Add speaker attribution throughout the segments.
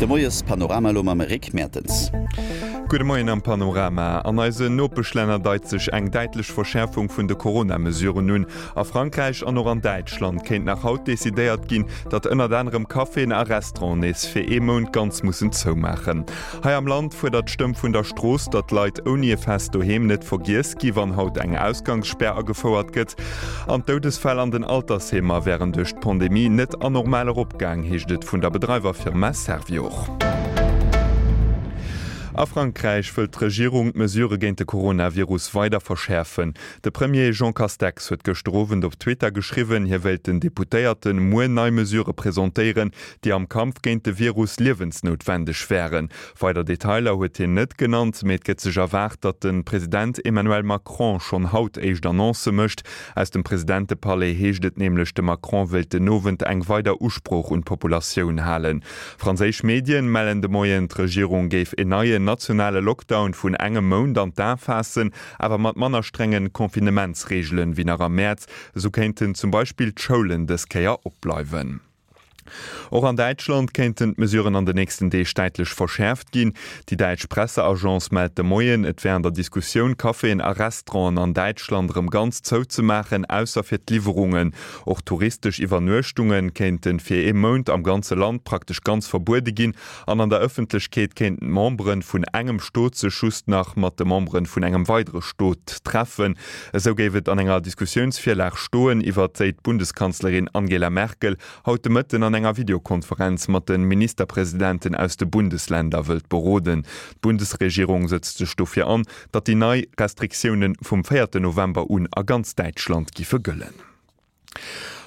Speaker 1: De Moies-Panorama elo mam Rick Mertens.
Speaker 2: Gudde Moien am Panorama. An eisen Nopeschlänner deit sech eng däitlech Verschäerfung vun de Corona-Mesuren un. A Frankräich an och an Däitschland kéint nach haut decidéiert ginn, datt ënnert anerem Caféen a Restauranten nees fir ee Mount ganz mussen zoumaachen. Hei am Land fuerdert d'Stëmm vun der Strooss, datt Leit ouni e fest Doheem net vergiess gi wann haut eng Ausgangsspär agefouert gëtt. An d'Doudesfäll an den Altersheemer wären duerch d'Pandemie net anormal eropgaang, heescht et vun der Bedreiwerfirma Servior. A Frankräich wëllt d'Regierung d'Mesurë géint de Coronavirus weider verschäerfen. De Premier Jean Castex huet gëschter Owend op Twitter geschriwwen, hie wéilt den Deputéierte muer nei Mesurë presentéieren, déi am Kampf géint de Virus liewensnoutwendeg wären. Weider Detailer huet hien net genannt, mee et gëtt sech erwaart, datt de President Emmanuel Macron schonn haut éischt Annoncë mécht. Aus dem Presidentepalais heescht et nämlech, de Macron wéilt den Owend eng weider Usprooch un d'Populatioun halen. Franséisch Medien mellen de Moien, d'Regierung géif en neien nationale Lockdown vun engem Mount an d'A faassen, awer mat manner strengen Confinementsreegelen wéi nach am Mäerz. Esou kéinten zum Beispill d'Schoulen dës Kéier opbleiwen. Och an Däitschland kéinten d'Mesuren an den nächsten Deeg däitlech verschäerft ginn. Déi däitsch Presseagence mellt de Moien, et wär an der Diskussioun, Caféen a Restauranten an Däitschland erëm ganz zouzemaachen, ausser fir d'Liwwerungen. Och touristesch Iwwernuechtunge kéinte fir ee Mount am ganze Land praktesch ganz verbuede ginn an an der Ëffentlechkeet kéinten d'Membere vun engem Stot sech just nach mat de Membere vun engem weidere Stot treffen. Esou géif et an enger Diskussiounsvirlag stoen, iwwert déi d'Bundeskanzlerin Angela Merkel haut de Mëtten an enger Videokonferenz mat de Ministerpresidenten aus de Bundesländer wëllt beroden. D'Bundesregierung sëtzt sech dofir an, datt déi nei Restriktioune vum véierte November un a ganz Däitschland giffe gëllen.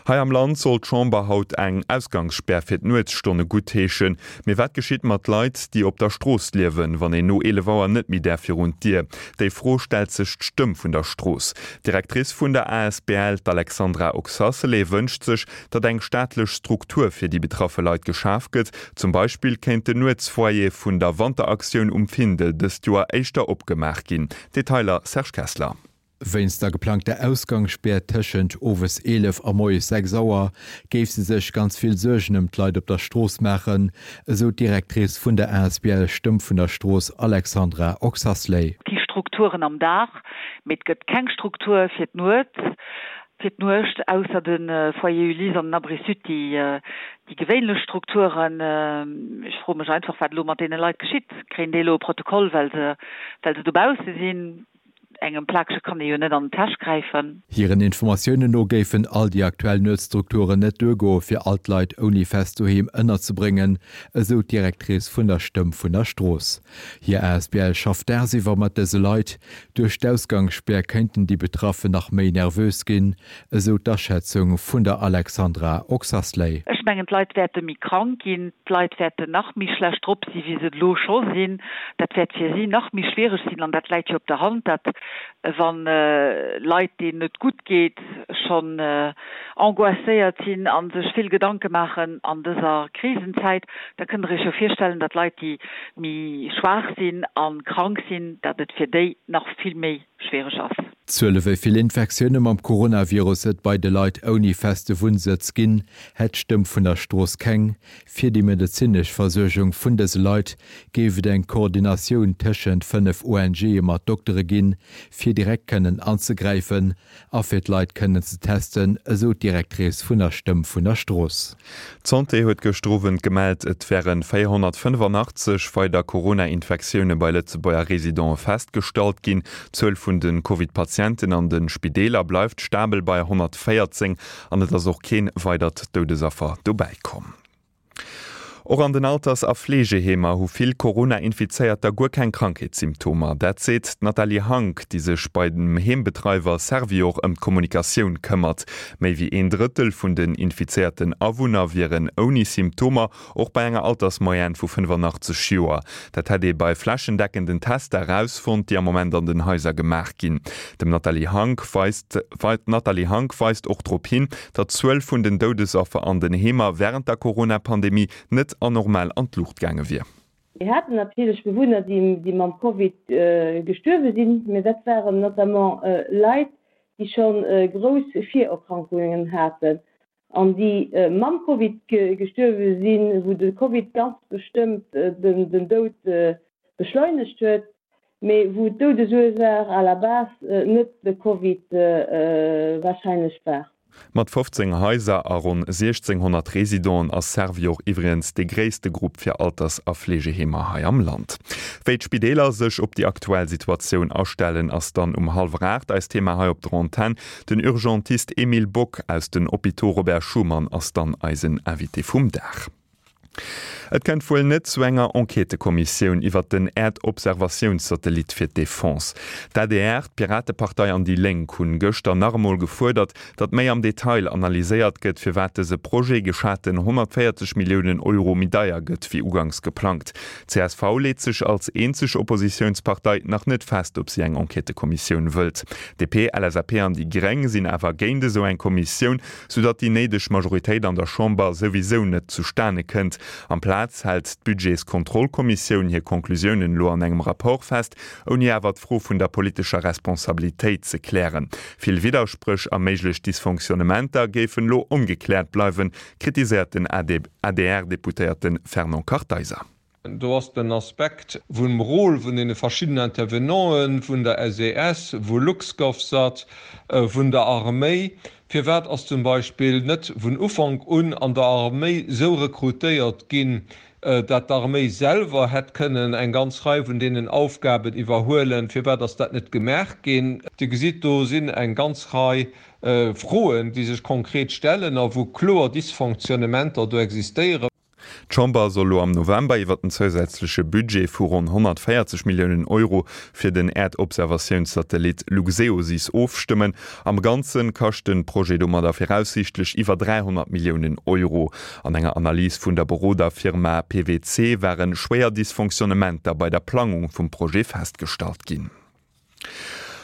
Speaker 2: Hei am Land soll d'Chamber haut eng Ausgangsspär fir d'Nuetsstonne guttheeschen. Mee wat geschitt mat Leit, déi op der Strooss liewen, wann een no 11 Auer net méi däerf virun d'Dier? Déi Fro stellt sech d'Stëmm vun der Strooss. D'Directrice vun der asbl, d'Alexandra Oxacelay, wënscht sech, datt eng staatlech Struktur fir déi betraffe Leit geschaf gëtt. Zum Beispill kéint den Nuetsfoyer vun der Wanteraktioun um Findel dëst Joer éischter opgemaach ginn. Detailer Serge Kessler.
Speaker 3: Wéinst der geplangter Ausgangsspär tëschent owes 11 a moies 6 Auer géif se sech ganz vill Suergen ëm d'Leit op der Strooss maachen, esou d'Directrice vun der asbl Stëmm vun der Strooss Alexandra Oxasley.
Speaker 4: Et gi Strukturen am Dag, mee et gëtt keng Struktur fir d'Nuet, fir d'Nuecht, ausser de Foyer Ulysse an den Abri Sud, déi déi gewéinlech Strukturen. Ech froe mech einfach, wat elo mat deene Leit geschitt. Kréien déi elo e Protokoll, well se, well se dobausse sinn? Engem Plakege kann ee jo net an d'Täsch gräifen.
Speaker 3: Hiren Informatiounen no géifen all déi aktuell Nuetsstrukturen net duergoe fir all d'Leit ouni fest Doheem ënnerzebréngen, esou d'Directrice vun der Stëmm vun der Strooss. Hir asbl schafft dagsiwwer mat dëse Leit. Duerch d'Ausgangsspär kéinten déi Betraffen nach méi nervös ginn, esou d'Aschätzung vun der Alexandra Oxasley.
Speaker 4: Ech mengen, d'Leit wäerte méi krank ginn, d'Leit wäerten nach méi schlecht drop si wéi se et elo scho sinn. Dat wäert fir si nach méi schwiereg sinn an dat läit jo op der Hand, dat wa Leit, deenen et gutt geet, schonn angoisséiert sinn a sech vill Gedanke maachen an dëser Krisenzäit, da kënnt Der Iech jo virstellen, datt Leit, déi méi schwaach sinn a krank sinn, datt et fir déi nach vill méi schwiereg ass.
Speaker 3: D'Zuele wéi vill Infektioune mam Coronavirus et bei de Leit ouni feste Wunnsëtz ginn, hätt d'Stëmm vun der Strooss keng. Fir déi medezinesch Versuergung vun dëse Leit géif et eng Koordinatioun tëschent 5 ONGe mat Doktere ginn, fir direkt kënnen anzegräifen a fir d'Leit kënnen ze testen, esou d'Directrice vun der Stëmm vun der Strooss.
Speaker 2: D'Santé huet gëschter Owend gemellt, et wäre 485 weider Corona-Infektioune bei Lëtzebuerger Residente festgestallt ginn. D'Zuel vun de Covid-Patienten an de Spideeler bleift stabel bei 114 an et ass och kee weidert Doudesaffer dobäi komm. Och an den Alters a Fleegeheemer hu vill Corona-Infizéierter guer keng Krankheetssymptomer. Dat seet d'Nathalie Hank, déi sech bei dem Heembedreiwer Servior ëm d'Kommunikatioun këmmert. Méi wéi een Drëttel vun den infizéierten Awunner wieren ouni Symptomer, och bei enger Altersmoyenne vu 85 Joer. Dat hätt ee bei flächendeckenden Tester erausfonnt, déi am Moment an den Haiser gemaach ginn. Dem Nathalie Hank weist D'Nathalie Hank weist och drop hin, datt d'Zuel vun den Doudesaffer an den Heemer wärend der Corona-Pandemie net anormal an d'Luucht gaange wier.
Speaker 5: Mir haten natierlech Bewunner, déi mam Covid gestuerwe sinn, mä dat waren notamment Leit, déi scho grouss Virerkrankungen haten. An déi mam Covid gestuerwe sinn, wou de Covid ganz bestëmmt den Doud beschleunegt huet, mee wou d'Doudesursaach à la base net de Covid warscheinlech war.
Speaker 2: Mat 15 Haiser a ronn 1.600 Residenten ass Servior iwwregens dee gréisste Grupp fir Alters a Fleegeheemer hei am Land. Wéi d'Spideeler sech op déi aktuell Situatioun astellen, ass dann um hallwer 8 eist Thema hei op der Antenn. Den Urgentist Emile Bock aus den Hôpitaux Robert Schuman ass dann eisen Invité vum Dag. Et kënnt wuel net zu enger Enquêtëkommissioun iwwert den Äerdobservatiounssatellit fir d'Defense. D'adr, d'Piratepartei an déi Lénk hunn gëschter nach emol gefuerdert, datt méi am Detail analyséiert gëtt, firwat dëse Projet geschaten 140 Milliounen Euro méi deier gëtt wéi uganks geplangt. Csv leet sech als eenzeg Oppositiounspartei nach net fest, ob si eng Enquêtëkommissioun wëllt. DP, LSAP an déi Gréng sinn awer géint esou eng Kommissioun, soudatt déi néideg Majoritéit an der Chamber souwisou net zustane kënnt. Amplaz hält d'Budgetskontrollkommissioun hir Conclusiounen elo an engem Rapport fest, ouni awer d'Fro vun der politescher Responsabilitéit ze klären. Vill Widderspréch a méiglech Dysfonctionnementer géifen elo ongekläert bleiwen, kritiséiert den ADR-Deputéierte Fernand Kartheiser.
Speaker 6: Do ass den Aspekt vum Rôle vun deene verschiddenen Intervenanten, vun der SES, vu LuxGovSat, vun der Arméi. Firwat ass zum Beispill net vun Ufank un an der Arméi esou rekrutéiert ginn, dat d'Arméi selwer hätt kënnen eng ganz Rei vun deenen Aufgaben iwwerhuelen? Firwat ass dat net gemaach ginn? Dir gesitt, do sinn eng ganz Rei Froen, déi sech konkret stellen a wou kloer Dysfonctionnementer do existéieren.
Speaker 2: D'Chamber soll lo am November iwwer den zousätzleche Budget vu ronn 140 Milliounen Euro fir den Äerdobservatiounssatellit Luxeosys ofstëmmen. Am Ganze kascht de Projet domadder viraussiichtlech iwwer 300 Milliounen Euro. An enger Analys vun der Beroderfirma PwC ware schwéier Dysfonctionnementer bei der Plangung vum Projet festgestallt ginn.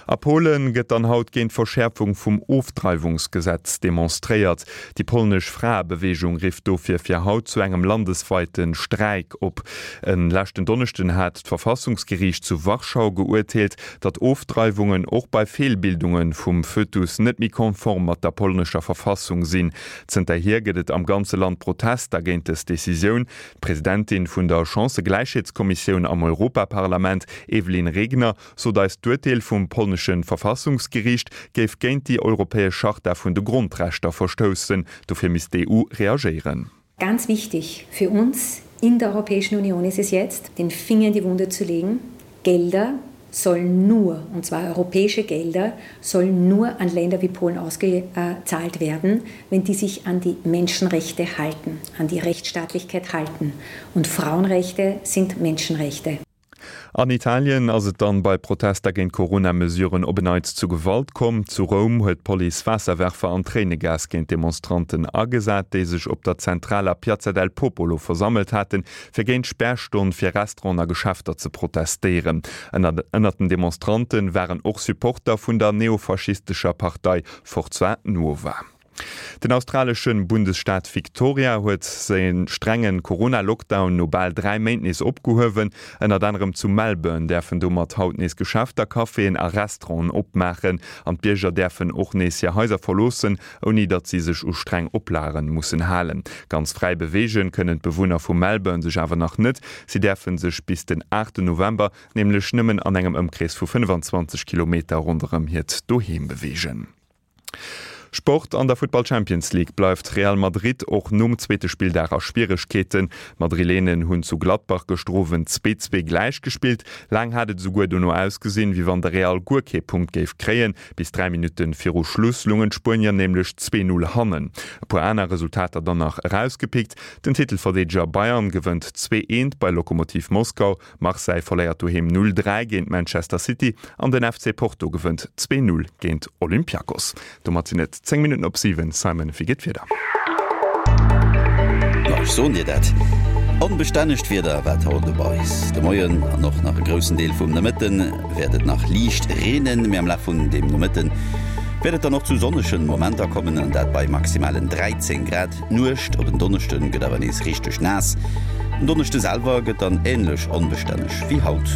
Speaker 2: A Polen gëtt dann haut géint d'Verschäerfung vum Ofdreiwungsgesetz demonstréiert. Déi polnesch Fraebeweegung rifft dofir fir haut zu engem landesweite Streik op. E leschten Donneschden hat d'Verfassungsgeriicht zu Warschau geurteelt, datt Ofdreiwungen och bei Feelbildunge vum Fötus net méi konform mat der polnescher Verfassung sinn. Zënterhier gëtt et am ganze Land Protester géint dës Decisioun. D'Presidentin vun der Chancëgläichheetskommissioun am Europaparlament, Evelyn Regner, sot eis, d'Urteel vum polnesche Verfassungsgeriicht géif géint déi europäesch Charta vun de Grondrechter verstoussen. Dofir misst d'EU reagéieren.
Speaker 7: Ganz wichtig für uns in der Europäischen Union ist es jetzt, den Finger in die Wunde zu legen. Gelder sollen nur, und zwar europäische Gelder, sollen nur an Länder wie Polen ausgezahlt werden, wenn die sich an die Menschenrechte halten, an die Rechtsstaatlichkeit halten. Und Frauenrechte sind Menschenrechte.
Speaker 2: An Italien ass et dann bei Protester géint Corona-Mesuren op en Neits zu Gewalt komm. Zu Roum huet d'Police Waasserwerfer an Tréinegas géint Demonstranten agesat, déi sech op der zentraler Piazza del Popolo versammelt haten, fir géint d'Spärstonn fir Restauranten a Geschäfter ze protestéieren. Ënnert den Demonstrante waren och Supporter vun der neofaschistescher Partei Forza Nuova. Den australesche Bundesstaat Victoria huet säi strenge Corona-Lockdown no bal 3 Méint nees opgehuewen. Ënnert anerem zu Melbourne däerfen domat haut nees Geschäfter, Caféen a Restauranten opmaachen an d'Bierger däerfen och nees hir Haiser verloossen, ouni datt si sech u streng Oplage mussen halen. Ganz fräi beweegen kënnen d'Bewunner vu Melbourne sech awer nach net. Si däerfe sech bis den 8 November nämlech nëmmen an engem Ëmkrees vu 25 Kilometer ronderëm hiert Doheem beweegen. Sport, An der Futtball Champions League bleift Real Madrid och nom zweete Spilldag a Schwieregkeeten. D'Madrilenen hunn zu Gladbach gëschter Owend 2, 2 gläichgespillt. Laang hat et esouguer dono ausgesinn, wéi wann de Real guer kee Punkt géif kréien. Bis 3 Minutte viru Schluss lungen d'Spuenier nämlech 2, 0 hannen. E puer aner Resultater dann nach erausgepickt, Den Titelverdeedeger Bayern gewënnt 2, 1 bei Lokomotiv Moskau, Marseille verléiert doheem 0, 3 géint Manchester City an den FC Porto gewënnt 2, 0 géint Olympiakos. Domat sinn et 10 Minutten op 7. Simon, wéi geet d'Wieder?
Speaker 1: Ma ech soen dir dat, onbestännegt Wieder wat haut op eis de Moien an och nach e groussen Deel vum Nomëtten wäert et nach liicht reenen, mee am Laf vun dem Nomëtten wäert et dann och zu sonnegen Momenter kommen, an dat bei maximalen 13 Grad. D'Nuecht op en Donneschden gëtt awer nees richteg naass. Den Donneschde selwer gëtt dann änlech onbestänneg wéi haut.